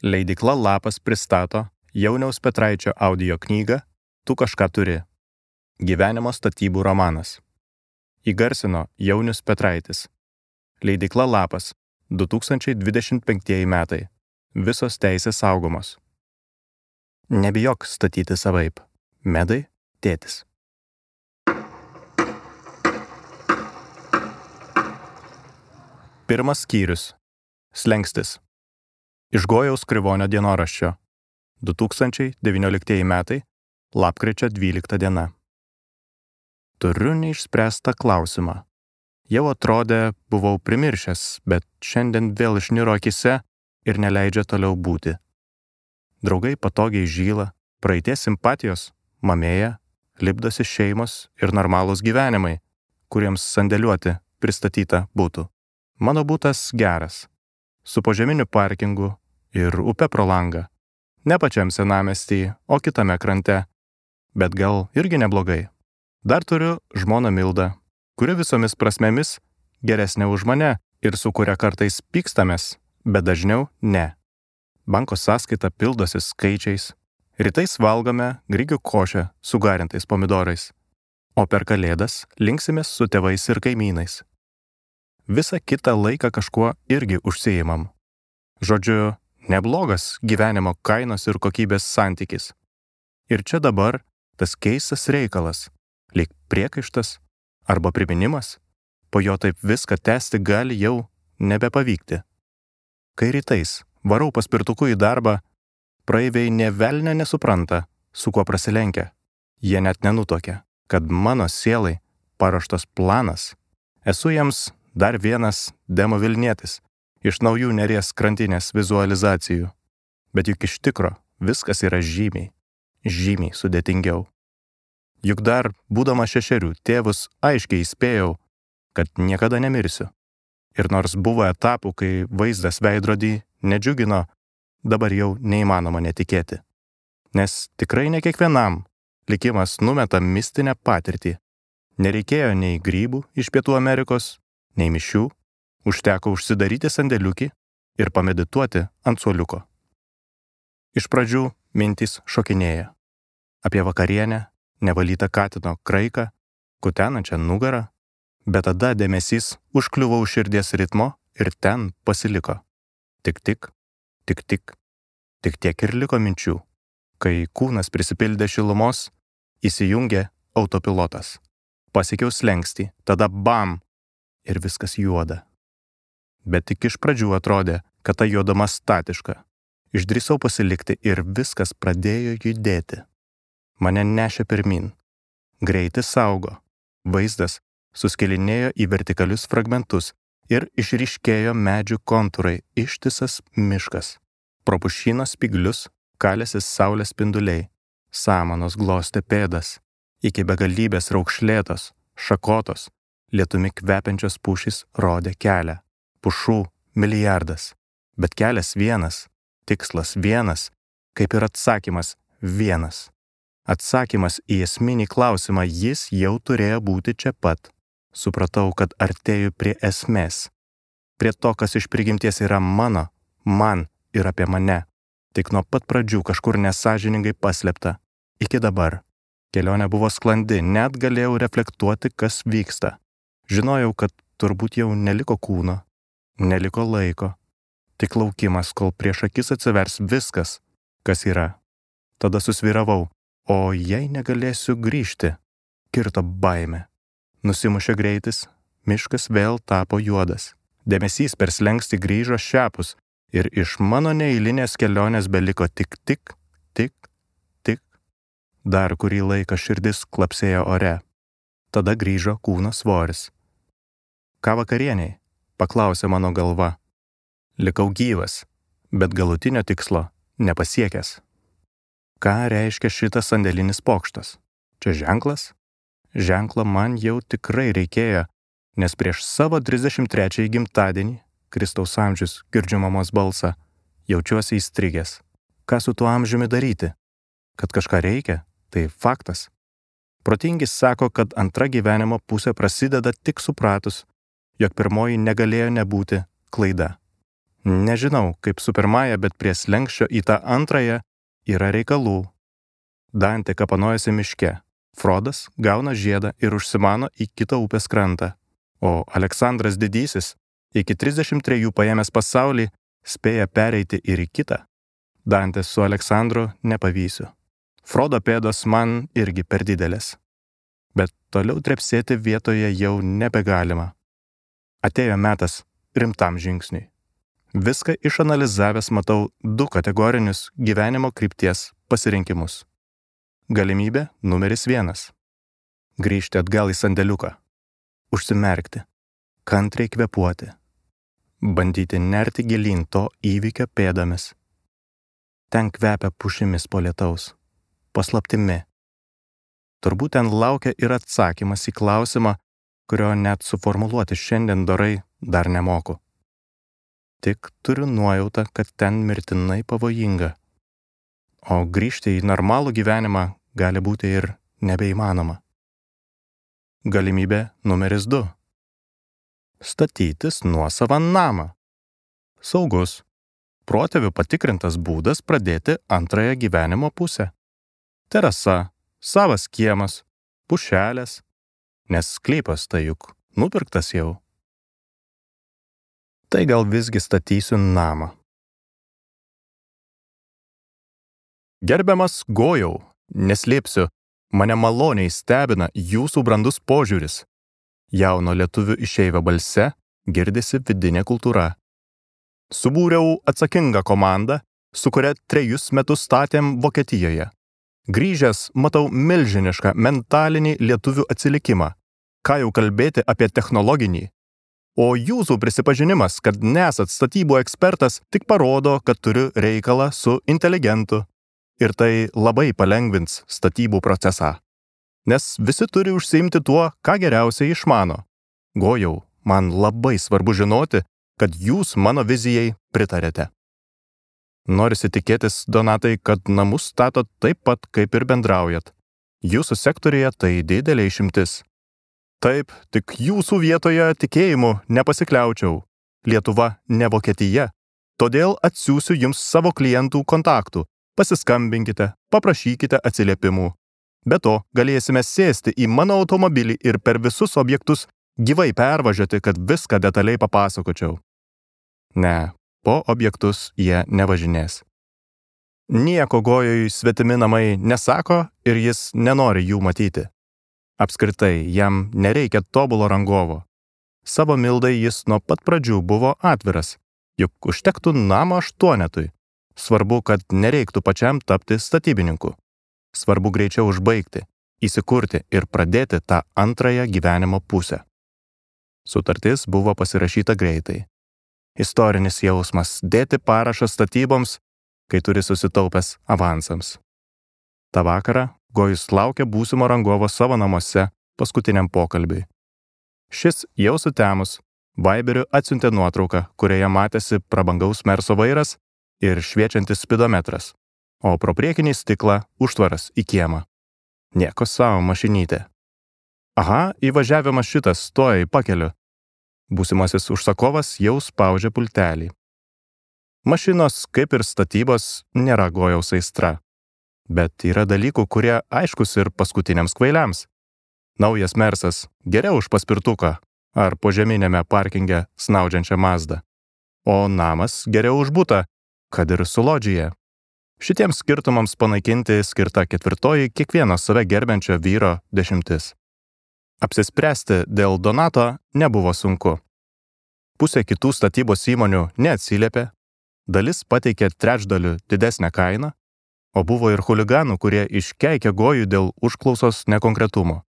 Leidykla Lapas pristato Jauniaus Petraičio audio knygą Tu kažką turi. Gyvenimo statybų romanas. Įgarsino Jaunius Petraitis. Leidykla Lapas, 2025 metai. Visos teisės saugomos. Nebijok statyti savaip. Medai, tėtis. Pirmas skyrius. Slengstis. Iš Gojaus Krivonio dienoraščio. 2019 metai. Lapkričio 12 diena. Turiu neišspręstą klausimą. Jau atrodė, buvau primiršęs, bet šiandien vėl išniro akise ir neleidžia toliau būti. Draugai patogiai žyla, praeities simpatijos mamėja, lipdosi šeimos ir normalūs gyvenimai, kuriems sandėliuoti pristatyta būtų. Mano būtas geras, su požeminiu parkingu ir upe pro langą. Ne pačiam senamiestyje, o kitame krante, bet gal irgi neblogai. Dar turiu žmoną Mildą, kuri visomis prasmėmis geresnė už mane ir su kuria kartais pykstamės, bet dažniau ne. Banko sąskaita pildosi skaičiais, rytais valgome grikių košę su garintais pomidorais, o per Kalėdas linksimės su tėvais ir kaimynais. Visą kitą laiką kažkuo irgi užsiimam. Žodžiu, neblogas gyvenimo kainos ir kokybės santykis. Ir čia dabar tas keistas reikalas, lyg priekaištas arba priminimas, po jo taip viską tęsti gali jau nebepavykti. Kai rytais varau paspirtuku į darbą, praeiviai nė velnio nesupranta, su kuo prasilenkia. Jie net nenutuokia, kad mano sielai paruoštas planas. Esu jiems dar vienas demo Vilnietis iš naujų Neries krantinės vizualizacijų. Bet juk iš tikro viskas yra žymiai sudėtingiau. Juk dar, būdama 6, tėvus aiškiai įspėjau, kad niekada nemirsiu. Ir nors buvo etapų, kai vaizdas veidrodį nedžiugino, dabar jau neįmanoma netikėti. Nes tikrai ne kiekvienam likimas numeta mistinę patirtį. Nereikėjo nei grybų iš Pietų Amerikos, nei mišių, užteko užsidaryti sandėliukį ir pamedituoti ant suoliuko. Iš pradžių mintys šokinėja. Apie vakarienę, nevalytą katino kraiką, kutenančią nugarą, bet tada dėmesys užkliuvo už širdies ritmo ir ten pasiliko. Tik tiek ir liko minčių. Kai kūnas prisipildė šilumos, įsijungė autopilotas. Pasiekiau slenkstį, tada bam! Ir viskas juoda. Bet tik iš pradžių atrodė, kad ta juodama statiška. Išdrįsau pasilikti ir viskas pradėjo judėti. Mane nešė pirmin. Greitis augo. Vaizdas suskilinėjo į vertikalius fragmentus ir išryškėjo medžių kontūrai, ištisas miškas. Pro pušyno spyglius kalėsi saulės spinduliai. Samanos glostė pėdas. Iki begalybės raukšlėtos, šakotos, lietumi kvepiančios pušys rodė kelią. Pušų milijardas. Bet kelias vienas, tikslas vienas, kaip ir atsakymas vienas. Atsakymas į esminį klausimą jis jau turėjo būti čia pat. Supratau, kad artėju prie esmės. Prie to, kas iš prigimties yra mano, man ir apie mane. Tik nuo pat pradžių kažkur nesąžiningai paslėpta. Iki dabar. Kelionė buvo sklandi, net galėjau reflektuoti, kas vyksta. Žinojau, kad turbūt jau neliko kūno, neliko laiko. Tik laukimas, kol prieš akis atsivers viskas, kas yra. Tada susvyravau. O jei negalėsiu grįžti, kirto baimė. Nusimušė greitis, miškas vėl tapo juodas. Dėmesys per slenkstį grįžo šiapus ir iš mano neeilinės kelionės beliko tik. Dar kurį laiką širdis klapsėjo ore. Tada grįžo kūno svoris. Ką vakarieniai? Paklausė mano galva. Likau gyvas, bet galutinio tikslo nepasiekęs. Ką reiškia šitas sandėlinis pokštas? Čia ženklas? Ženklo man jau tikrai reikėjo, nes prieš savo 33 gimtadienį, Kristaus amžius, girdžiu mamos balsą, jaučiuosi įstrigęs. Ką su tuo amžiumi daryti? Kad kažką reikia, tai faktas. Protingi sako, kad antra gyvenimo pusė prasideda tik supratus, jog pirmoji negalėjo nebūti klaida. Nežinau, kaip su pirmąja, bet prie slenkščio į tą antrąją yra reikalų. Dantė kapanojasi miške. Frodas gauna žiedą ir užsimano į kitą upės krantą. O Aleksandras Didysis, iki 33 paėmęs pasaulį, spėja pereiti ir į kitą. Dantės su Aleksandru nepavysiu. Frodo pėdos man irgi per didelės. Bet toliau trepsėti vietoje jau nebegalima. Atėjo metas rimtam žingsniui. Viską išanalizavęs matau 2 kategorinius gyvenimo krypties pasirinkimus. Galimybė numeris 1. Grįžti atgal į sandėliuką. Užsimerkti. Kantriai kvėpuoti. Bandyti nerti gilyn to įvykio pėdomis. Ten kvepia pušimis po lietaus. Paslaptimi. Turbūt ten laukia ir atsakymas į klausimą, kurio net suformuluoti šiandien dorai dar nemoku. Tik turiu nuojautą, kad ten mirtinai pavojinga. O grįžti į normalų gyvenimą gali būti ir nebeįmanoma. Galimybė numeris 2. Statytis nuosavą namą. Saugus, protėvių patikrintas būdas pradėti antrąją gyvenimo pusę. Terasa, savas kiemas, pušelės, nes sklypas tai juk nupirktas jau. Tai gal visgi statysiu namą. Gerbiamas Gojau, neslėpsiu, mane maloniai stebina jūsų brandus požiūris. Jauno lietuvių išeivio balse girdisi vidinė kultūra. Subūriau atsakingą komandą, su kuria 3 metus statėm Vokietijoje. Grįžęs matau milžinišką mentalinį lietuvių atsilikimą. Ką jau kalbėti apie technologinį. O jūsų prisipažinimas, kad nesat statybų ekspertas, tik parodo, kad turiu reikalą su inteligentu. Ir tai labai palengvins statybų procesą. Nes visi turi užsiimti tuo, ką geriausiai išmano. Gojau, man labai svarbu žinoti, kad jūs mano vizijai pritarėte. Norisi tikėtis, Donatai, kad namus statot taip pat, kaip ir bendraujat. Jūsų sektorija tai didelė išimtis. Taip, tik jūsų vietoje tikėjimu nepasikliaučiau. Lietuva ne Vokietija. Todėl atsiųsiu jums savo klientų kontaktų. Pasiskambinkite, paprašykite atsiliepimų. Be to, galėsime sėsti į mano automobilį ir per visus objektus gyvai pervažiuoti, kad viską detaliai papasakočiau. Ne, po objektus jie nevažinės. Nieko Gojui svetimi namai nesako ir jis nenori jų matyti. Apskritai, jam nereikia tobulo rangovo. Savo mildai jis nuo pat pradžių buvo atviras, juk užtektų namo 8. Svarbu, kad nereiktų pačiam tapti statybininku. Svarbu greičiau užbaigti, įsikurti ir pradėti tą antrąją gyvenimo pusę. Sutartis buvo pasirašyta greitai. Istorinis jausmas dėti parašą statyboms, kai turi susitaupęs avansams. Ta vakarą Gojus laukia būsimo rangovo savo namuose paskutiniam pokalbiui. Šis jau sutemus, Viberiu atsiuntė nuotrauką, kurioje matėsi prabangaus Merso vairas ir šviečiantis spidometras, o pro priekinį stiklą užtvaras į kiemą. Nieko savo mašinytė. Aha, įvažiavimas šitas, tuoj pakeliu. Būsimasis užsakovas jau spaudžia pultelį. Mašinos, kaip ir statybos, nėra Gojaus aistra. Bet yra dalykų, kurie aiškus ir paskutiniams kvailiams. Naujas Mersas geriau už paspirtuką ar požeminėme parkinge snaudžiančią Mazdą. O namas geriau už butą, kad ir su lodžija. Šitiems skirtumams panaikinti skirta 4 kiekvieno save gerbiančio vyro 10. Apsispręsti dėl Donato nebuvo sunku. Pusė kitų statybos įmonių neatsiliepė, dalis pateikė 1/3 didesnę kainą, o buvo ir chuliganų, kurie iškeikė Gojų dėl užklausos nekonkretumo.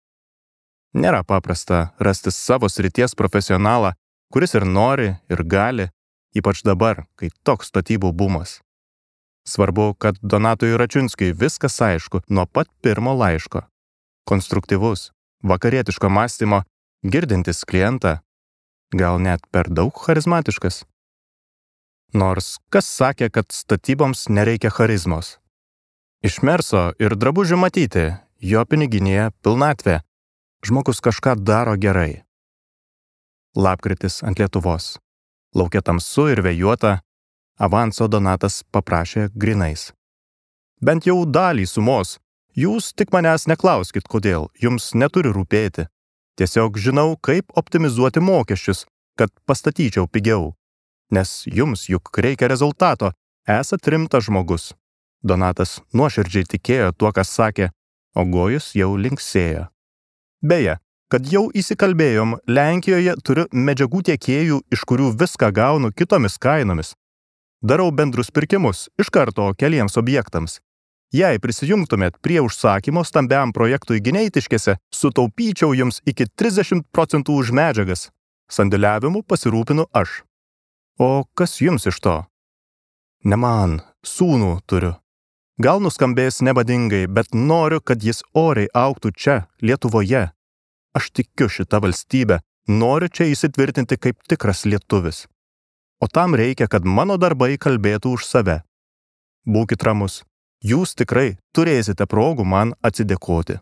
Nėra paprasta rasti savo srities profesionalą, kuris ir nori, ir gali, ypač dabar, kai toks statybų bumas. Svarbu, kad Donatui Račiunskiui viskas aišku nuo pat pirmo laiško. Konstruktyvus, vakarietiško mąstymo, girdintis klientą, gal net per daug charizmatiškas. Nors kas sakė, kad statyboms nereikia charizmos. Iš Merso ir drabužių matyti, jo piniginėje pilnatvė. Žmogus kažką daro gerai. Lapkritis ant Lietuvos. Laukia tamsu ir vėjuota, Avanso Donatas paprašė grinais. Bent jau dalį sumos. Jūs tik manęs neklauskit, kodėl, jums neturi rūpėti. Tiesiog žinau, kaip optimizuoti mokesčius, kad pastatyčiau pigiau. Nes jums juk reikia rezultato, esat rimtas žmogus. Donatas nuoširdžiai tikėjo tuo, kas sakė, o Gojus jau linksėjo. Beje, kad jau įsikalbėjom, Lenkijoje turiu medžiagų tiekėjų, iš kurių viską gaunu kitomis kainomis. Darau bendrus pirkimus iš karto keliems objektams. Jei prisijungtumėt prie užsakymo stambiam projektui Gineitiškėse, sutaupyčiau jums iki 30% už medžiagas. Sandėliavimu pasirūpinu aš. O kas jums iš to? Ne man, sūnų turiu. Gal nuskambės nebadingai, bet noriu, kad jis oriai augtų čia, Lietuvoje. Aš tikiu šitą valstybę, noriu čia įsitvirtinti kaip tikras lietuvis. O tam reikia, kad mano darbai kalbėtų už save. Būkit ramus. Jūs tikrai turėsite progų man atsidėkoti.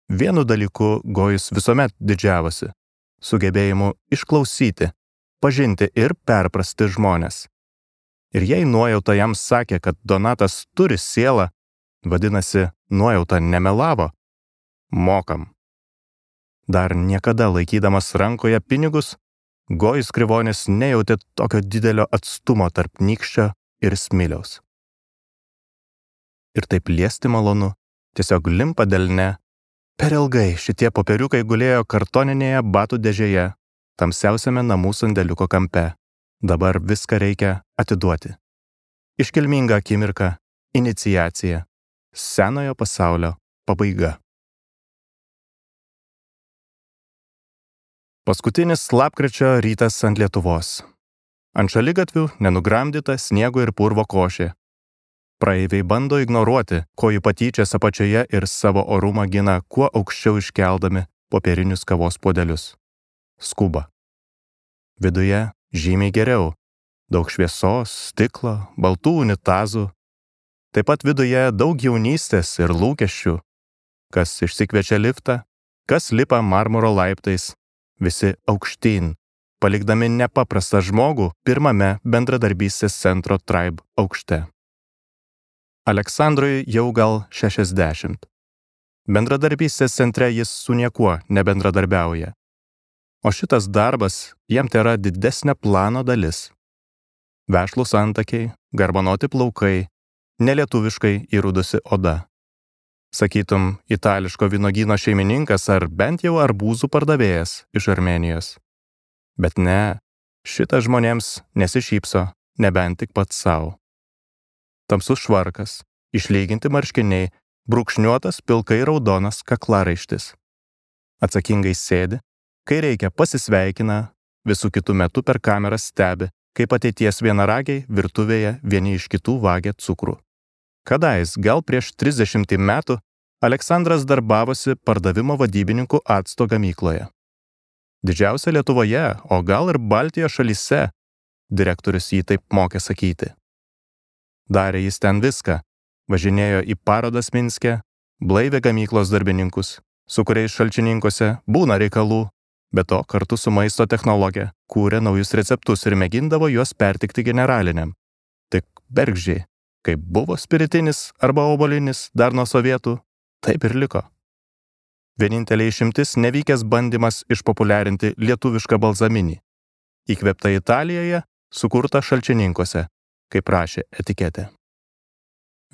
Vienu dalyku Gojus visuomet didžiavosi – sugebėjimu išklausyti, pažinti ir perprasti žmones. Ir jei nuojauta jam sakė, kad Donatas turi sielą, vadinasi, nuojauta nemelavo, mokam. Dar niekada laikydamas rankoje pinigus, Gojus Krivonis nejautė tokio didelio atstumo tarp nykščio ir smiliaus. Ir taip liesti malonu, tiesiog limpa delne. Per ilgai šitie popieriukai gulėjo kartoninėje batų dėžėje, tamsiausiame namų sandėliuko kampe. Dabar viską reikia atiduoti. Iškilminga akimirka, iniciacija, senojo pasaulio pabaiga. Paskutinis lapkričio rytas ant Lietuvos. Ant šaligatvių nenugramdyta sniego ir purvo košė. Praeiviai bando ignoruoti, ko jų patyčias apačioje ir savo orumą gina kuo aukščiau iškeldami popierinius kavos puodelius. Skuba. Viduje žymiai geriau. Daug šviesos, stiklo, baltų unitazų. Taip pat viduje daug jaunystės ir lūkesčių. Kas išsikviečia liftą, kas lipa marmuro laiptais, visi aukštyn, palikdami nepaprastą žmogų pirmame bendradarbystės centro Tribe aukšte. Aleksandrui jau gal 60. Bendradarbystės centre jis su niekuo nebendradarbiauja. O šitas darbas jam tėra didesnė plano dalis. Vešlūs antakiai, garbanoti plaukai, nelietuviškai įrudusi oda. Sakytum, itališko vynogyno šeimininkas ar bent jau arbūzų pardavėjas iš Armėnijos. Bet ne, šitas žmonėms nesišypso, nebent tik pats savo. Tamsus švarkas, išlyginti marškiniai, brūkšniuotas pilkai raudonas kaklaraištis. Atsakingai sėdi, kai reikia pasisveikina, visų kitų metų per kamerą stebi, kaip ateities vienaragiai virtuvėje vieni iš kitų vagia cukrų. Kadais, gal prieš 30 metų, Aleksandras darbavosi pardavimo vadybininkų acto gamykloje. Didžiausia Lietuvoje, o gal ir Baltijos šalyse, direktorius jį taip mokė sakyti. Darė jis ten viską, važinėjo į parodas Minske, blaivė gamyklos darbininkus, su kuriais šalčininkose būna reikalų, bet to kartu su maisto technologija kūrė naujus receptus ir mėgindavo juos pertikti generaliniam. Tik bergždžiai, kaip buvo spiritinis arba obolinis dar nuo sovietų, taip ir liko. Vienintelė išimtis nevykęs bandymas išpopuliarinti lietuvišką balzaminį, įkvėptą Italijoje, sukurtą šalčininkose, kaip rašė etiketė.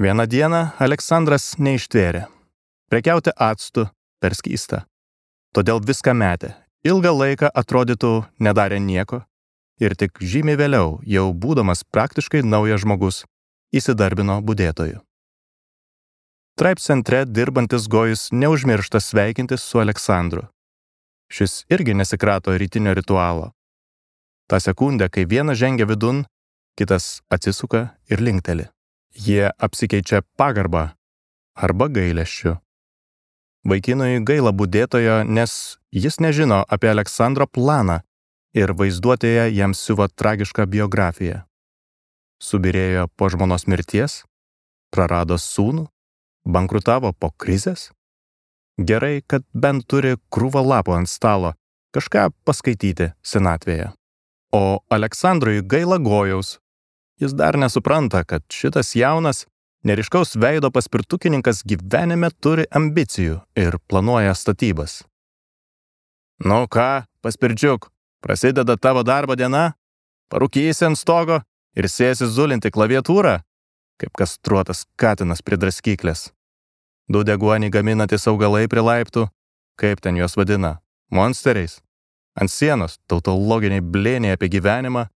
Vieną dieną Aleksandras neištvėrė. Prekiauti actu per skysta. Todėl viską metė. Ilgą laiką atrodytų nedarė nieko. Ir tik žymiai vėliau, jau būdamas praktiškai naujas žmogus, įsidarbino budėtoju. Tribe centre dirbantis Gojus neužmiršta sveikintis su Aleksandru. Šis irgi nesikrato rytinio ritualo. Ta sekundę, kai vienas žengia vidun, kitas atsisuka ir linkteli. Jie apsikeičia pagarbą arba gailesčiu. Vaikinui gaila budėtojo, nes jis nežino apie Aleksandro planą ir vaizduotėje jam siuva tragišką biografiją. Subirėjo po žmonos mirties, prarado sūnų, bankrutavo po krizės. Gerai, kad bent turi krūvą lapų ant stalo, kažką paskaityti senatvėje. O Aleksandrui gaila Gojaus, Jis dar nesupranta, kad šitas jaunas, neryškaus veido paspirtukininkas gyvenime turi ambicijų ir planuoja statybas. Nu ką, paspirdžiuk, prasideda tavo darbo diena? Parūkysi ant stogo ir sėsi zulinti klaviatūrą, kaip kastruotas katinas prie draskyklės. Du deguonį gaminantis augalai prie laiptų, kaip ten juos vadina, monsteriais. Ant sienos tautologiniai blėniai apie gyvenimą.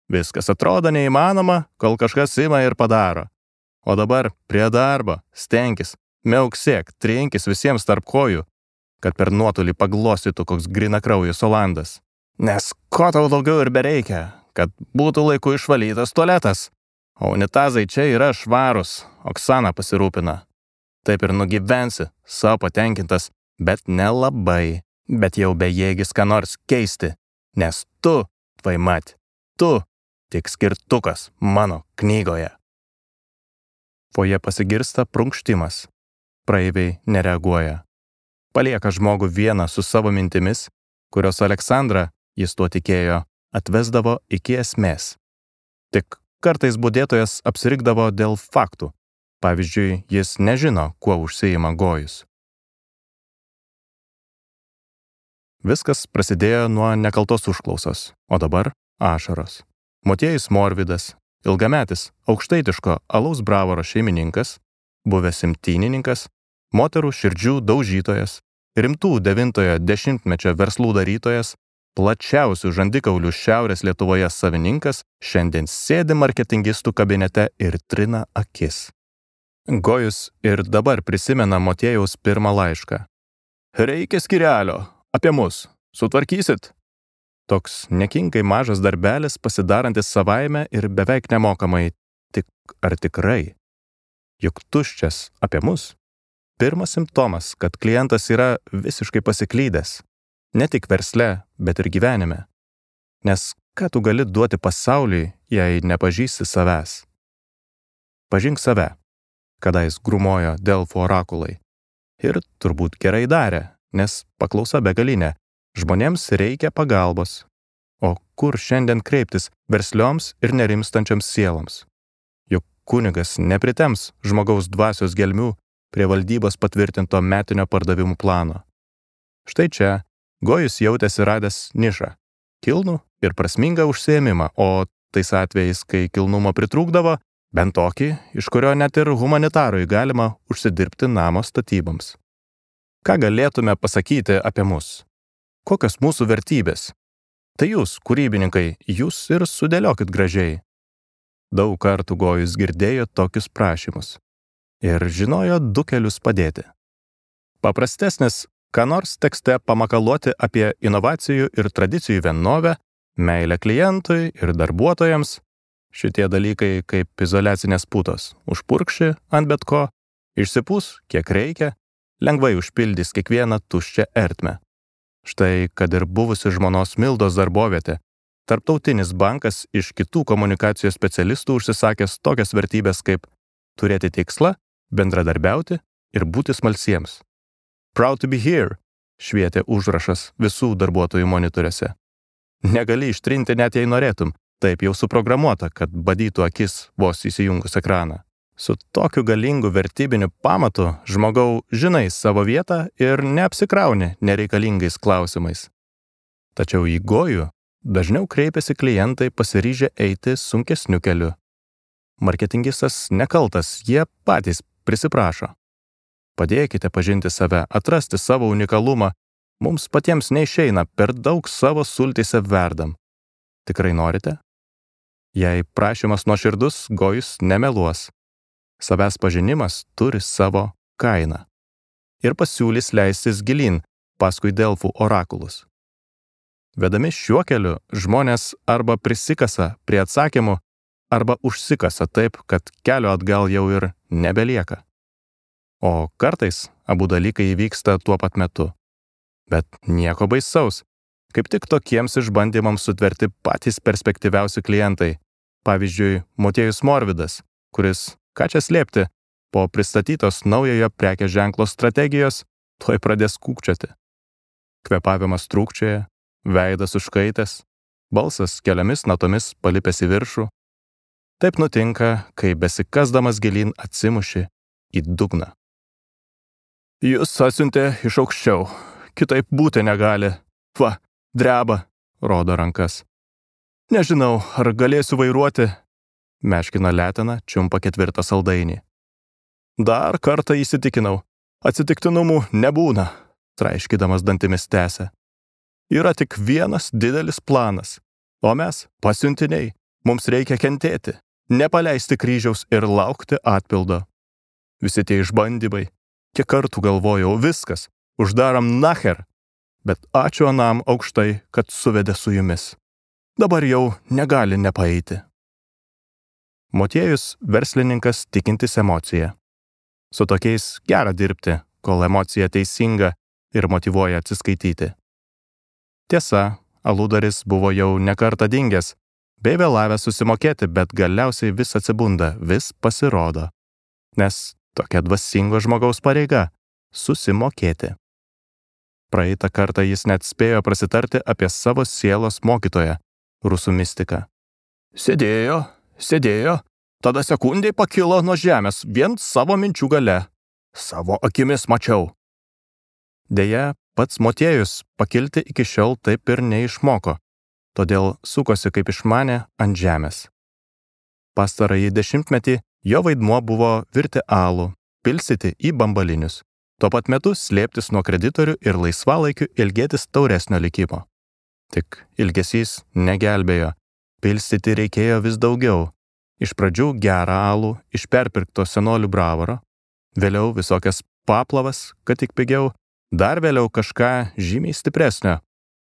Viskas atrodo neįmanoma, kol kažkas ima ir padaro. O dabar prie darbo, stenkis, miauksėk, trinkis visiems tarp kojų, kad per nuotolį paglostytų koks grinakraujus Olandas. Nes ko tau daugiau ir bereikia, kad būtų laiku išvalytas tualetas. O unitazai čia yra švarus, Oksana pasirūpina. Taip ir nugyvensi, savo patenkintas, bet nelabai, bet jau bejėgis ką nors keisti, nes tu, tvaimat, tu tik skirtukas mano knygoje. Foje pasigirsta prunkštimas. Praeiviai nereaguoja. Palieka žmogų vieną su savo mintimis, kurios Aleksandrą, jis tuo tikėjo, atvesdavo iki esmės. Tik kartais budėtojas apsirikdavo dėl faktų. Pavyzdžiui, jis nežino, kuo užsiima Gojus. Viskas prasidėjo nuo nekaltos užklausos, o dabar ašaros. Motiejus Morvidas, ilgametis aukštaitiško alaus bravoro šeimininkas, buvęs imtynininkas, moterų širdžių daužytojas, rimtų 9-ojo dešimtmečio verslų darytojas, plačiausių žandikaulių Šiaurės Lietuvoje savininkas, šiandien sėdi marketingistų kabinete ir trina akis. Gojus ir dabar prisimena Motiejaus pirmą laišką. Reikia skyrelio, apie mus, sutvarkysit? Toks nekinkai mažas darbelis pasidarantis savaime ir beveik nemokamai. Tik ar tikrai? Juk tuščias apie mus. Pirmas simptomas, kad klientas yra visiškai pasiklydęs. Ne tik versle, bet ir gyvenime. Nes ką tu gali duoti pasauliui, jei nepažįsti savęs? Pažink save, kadais grūmojo Delfų orakulai. Ir turbūt gerai darė, nes paklausa begalinė. Žmonėms reikia pagalbos. O kur šiandien kreiptis verslioms ir nerimstančioms sieloms? Juk kunigas nepritems žmogaus dvasios gelmių prie valdybos patvirtinto metinio pardavimų plano. Štai čia Gojus jautėsi radęs nišą, kilnų ir prasmingą užsiėmimą, o tais atvejais, kai kilnumo pritrūkdavo, bent tokį, iš kurio net ir humanitarui galima užsidirbti namo statyboms. Ką galėtume pasakyti apie mus? Kokios mūsų vertybės? Tai jūs, kūrybininkai, jūs ir sudėliokit gražiai. Daug kartų Gojus girdėjo tokius prašymus ir žinojo du kelius padėti. Paprastesnis, ką nors tekste pamakaluoti apie inovacijų ir tradicijų vienovę, meilę klientui ir darbuotojams. Šitie dalykai kaip izoliacinės putos. Užpurkši ant bet ko, išsipūs, kiek reikia, lengvai užpildys kiekvieną tuščią ertmę. Štai, kad ir buvusi žmonos Mildos darbovietė, Tarptautinis bankas iš kitų komunikacijos specialistų užsisakęs tokias vertybės kaip turėti tikslą, bendradarbiauti ir būti smalsiems. Proud to be here, švietė užrašas visų darbuotojų monitoriuose. Negali ištrinti net jei norėtum, taip jau suprogramuota, kad badytų akis vos įsijungus ekraną. Su tokiu galingu vertybiniu pamatu žmogau žinai savo vietą ir neapsikrauni nereikalingais klausimais. Tačiau į Gojų dažniau kreipiasi klientai pasiryžę eiti sunkesniu keliu. Marketingistas nekaltas, jie patys prisiprašo. Padėkite pažinti save, atrasti savo unikalumą. Mums patiems neišeina, per daug savo sultyse verdam. Tikrai norite? Jei prašymas nuoširdus, Gojus nemeluos. Savęs pažinimas turi savo kainą. Ir pasiūlys leistis gilyn paskui Delfų orakulus. Vedami šiuo keliu žmonės arba prisikasa prie atsakymų, arba užsikasa taip, kad kelio atgal jau ir nebelieka. O kartais abu dalykai įvyksta tuo pat metu. Bet nieko baisaus. Kaip tik tokiems išbandymams sutverti patys perspektyviausi klientai. Pavyzdžiui, Motiejus Morvidas, kuris, ką čia slėpti, po pristatytos naujojo prekės ženklo strategijos tuoj pradės kūkčioti. Kvėpavimas trūkčioja, veidas užkaitęs, balsas keliomis natomis palipęs į viršų. Taip nutinka, kai besikasdamas gilyn atsimuši į dugną. Jis atsiuntė iš aukščiau, kitaip būti negali. Va, dreba, rodo rankas. Nežinau, ar galėsiu vairuoti, meškina letena, čiumpa 4 saldainį. Dar kartą įsitikinau, atsitiktinumų nebūna, traiškydamas dantimis tęsia. Yra tik vienas didelis planas, o mes, pasiuntiniai, mums reikia kentėti, nepaleisti kryžiaus ir laukti atpildo. Visi tie išbandymai, kiek kartų galvojau, viskas, uždaram nacher, bet ačiū anam aukštai, kad suvedė su jumis. Dabar jau negali nepaeiti. Motiejus verslininkas tikintis emociją. Su tokiais gera dirbti, kol emocija teisinga ir motyvuoja atsiskaityti. Tiesa, aludaris buvo jau nekartą dingęs, bei vėlavęs susimokėti, bet galiausiai vis atsibunda, vis pasirodo. Nes tokia dvasingo žmogaus pareiga – susimokėti. Praeitą kartą jis net spėjo prasitarti apie savo sielos mokytoją, rusų mistiką. Sėdėjo, tada sekundei pakilo nuo žemės vien savo minčių gale. Savo akimis mačiau. Deja, pats Motiejus pakilti iki šiol taip ir neišmoko, todėl sukosi kaip išmanė ant žemės. Pastarąjį 10-metį jo vaidmuo buvo virti alų, pilstyti į bambalinius, tuo pat metu slėptis nuo kreditorių ir laisvalaikiu ilgėtis tauresnio likimo. Tik ilgesys negelbėjo, pilstyti reikėjo vis daugiau. Iš pradžių gerą alų iš perpirkto senolių bravaro, vėliau visokias paplavas, kad tik pigiau, dar vėliau kažką žymiai stipresnio.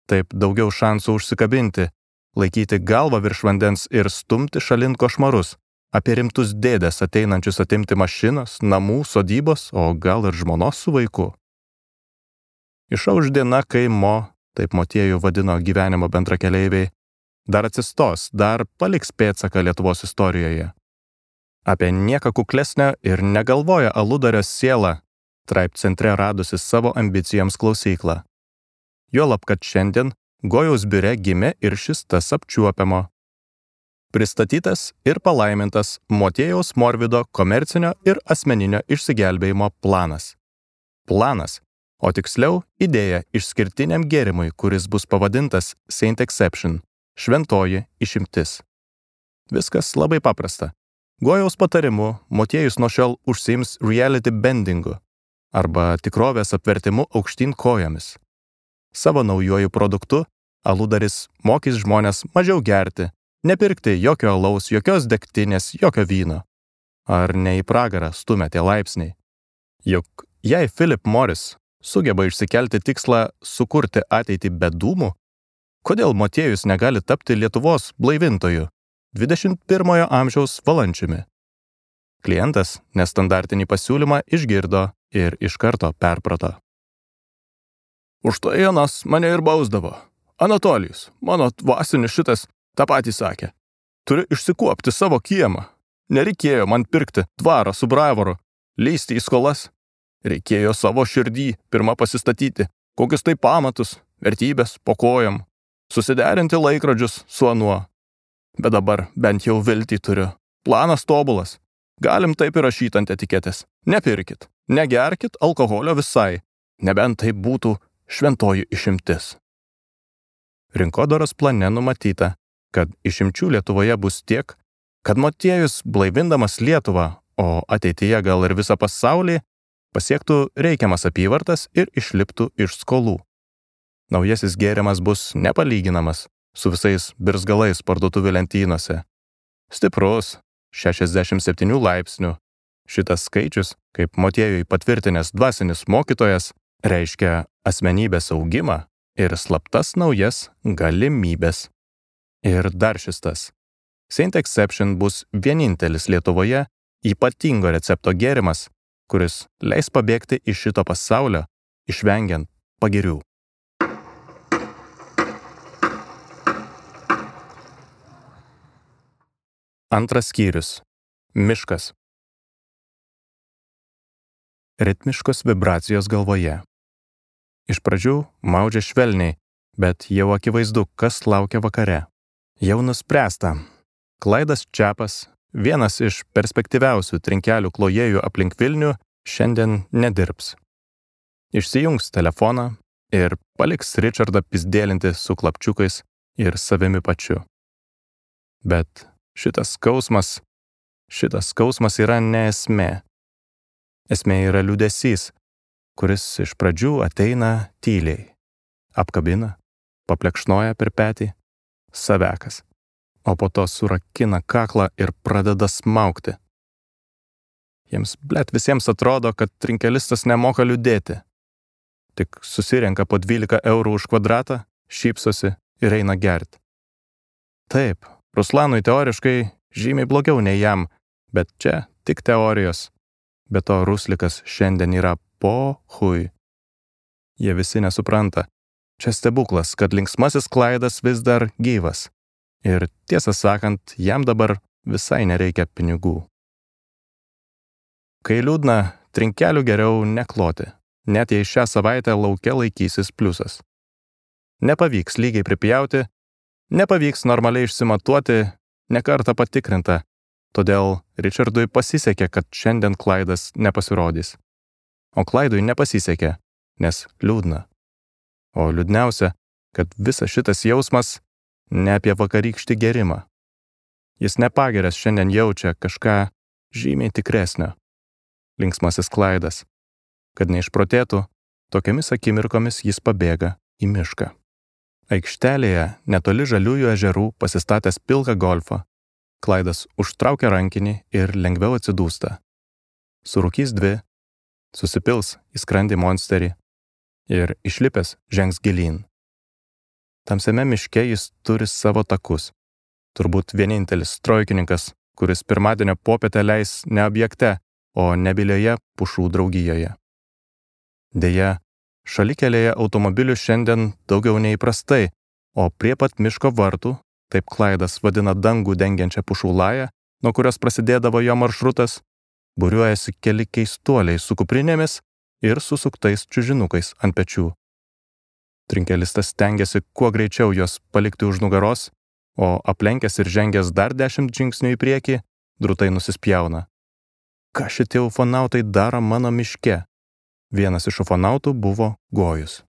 Taip daugiau šansų užsikabinti, laikyti galvą virš vandens ir stumti šalin košmarus, apie rimtus dėdes ateinančius atimti mašinos, namų, sodybos, o gal ir žmonos su vaiku. Išauš diena, kai taip Motiejų vadino gyvenimo bendrakeleiviai, dar atsistos, dar paliks pėdsaką Lietuvos istorijoje. Apie nieką kuklesnę ir negalvoja aludario sielą, Traip centre radusi savo ambicijoms klausyklą. Juolab, kad šiandien Gojaus biure gimė ir šis tas apčiuopiamo. Pristatytas ir palaimintas Motiejaus Morvido komercinio ir asmeninio išsigelbėjimo planas. Planas, o tiksliau idėja išskirtiniam gėrimui, kuris bus pavadintas Saint Exception, šventoji išimtis. Viskas labai paprasta. Gojaus patarimu Motiejus nuo šiol užsiims reality bendingu arba tikrovės apvertimu aukštyn kojomis. Savo naujuoju produktu aludaris mokys žmonės mažiau gerti, nepirkti jokio alaus, jokios degtinės, jokio vyno. Ar ne į pragarą stumia tie laipsniai? Juk jei Philip Morris sugeba išsikelti tikslą sukurti ateitį be dūmų, kodėl Motiejus negali tapti Lietuvos blaivintoju, 21 amžiaus valančiumi? Klientas nestandartinį pasiūlymą išgirdo ir iš karto perprato. Už tai anas mane ir bausdavo. Anatolijus, mano dvasinis šitas, tą patį sakė. Turiu išsikuopti savo kiemą. Nereikėjo man pirkti dvarą su bravoru, leisti į skolas. Reikėjo savo širdį pirmą pasistatyti, kokius tai pamatus, vertybės po kojam, susiderinti laikrodžius su anuo. Bet dabar bent jau viltį turiu. Planas tobulas. Galim taip įrašyti ant etiketės. Nepirkit, negerkit alkoholio visai, nebent tai būtų šventoji išimtis. Rinkodaros plane numatyta, kad išimčių Lietuvoje bus tiek, kad Motiejus blaivindamas Lietuvą, o ateityje gal ir visą pasaulį, pasiektų reikiamas apyvartas ir išliptų iš skolų. Naujasis gėrimas bus nepalyginamas su visais birzgalais parduotuvių lentynose. Stiprus, 67 laipsnių. Šitas skaičius, kaip Motiejui patvirtinęs dvasinis mokytojas, reiškia asmenybės augimą ir slaptas naujas galimybės. Ir dar šis tas. Saint Exception bus vienintelis Lietuvoje ypatingo recepto gėrimas, kuris leis pabėgti iš šito pasaulio, išvengiant pagirių. Antras skyrius. Miškas. Ritmiškos vibracijos galvoje. Iš pradžių maudžia švelniai, bet jau akivaizdu, kas laukia vakare. Jau nuspręsta. Klaidas Čepas, vienas iš perspektyviausių trinkelių klojėjų aplink Vilnių šiandien nedirbs. Išsijungs telefoną ir paliks Richardą pizdėlinti su klapčiukais ir savimi pačiu. Bet šitas skausmas yra ne esmė. Esmė yra liūdesys, kuris iš pradžių ateina tyliai, apkabina, paplekšnoja per petį, savekas, o po to surakina kaklą ir pradeda smaugti. Jiems, visiems atrodo, kad trinkelistas nemoka liūdėti. Tik susirenka po 12 eurų už kvadratą, šypsosi ir eina gerti. Taip, Ruslanui teoriškai žymiai blogiau nei jam, bet čia tik teorijos. Be to Ruslikas šiandien yra pohui. Jie visi nesupranta. Čia stebuklas, kad linksmasis Klaidas vis dar gyvas. Ir tiesą sakant, jam dabar visai nereikia pinigų. Kai liūdna, trinkelių geriau nekloti, net jei šią savaitę lauke laikysis pliusas. Nepavyks lygiai pripjauti, nepavyks normaliai išsimatuoti, nekartą patikrinta, todėl Richardui pasisekė, kad šiandien Klaidas nepasirodys. O Klaidui nepasisekė, nes liūdna. O liūdniausia, kad visas šitas jausmas ne apie vakarykštį gerimą. Jis nepageręs šiandien jaučia kažką žymiai tikresnio. Linksmasis Klaidas. Kad neišprotėtų, tokiamis akimirkomis jis pabėga į mišką. Aikštelėje netoli Žaliųjų ežerų pasistatęs pilką golfą, Klaidas užtraukia rankinį ir lengviau atsidūsta. Surūkys 2, susipils į skrandį monsterį ir išlipęs žengs gilyn. Tamsiame miške jis turi savo takus. Turbūt vienintelis trojkininkas, kuris pirmadienio popietę leis ne objekte, o nebilioje pušų draugijoje. Deja, šalikelėje automobilių šiandien daugiau neįprastai, o prie pat miško vartų, taip Klaidas vadina dangų dengiančią pušų lają, nuo kurios prasidėdavo jo maršrutas, būriuojasi keli keistuoliai su kuprinėmis ir susuktais čiužinukais ant pečių. Trinkelistas stengiasi kuo greičiau juos palikti už nugaros, o aplenkęs ir žengęs dar 10 žingsnių į priekį, drūtai nusispjauna. Ką šitie ufonautai daro mano miške? Vienas iš ufonautų buvo Gojus.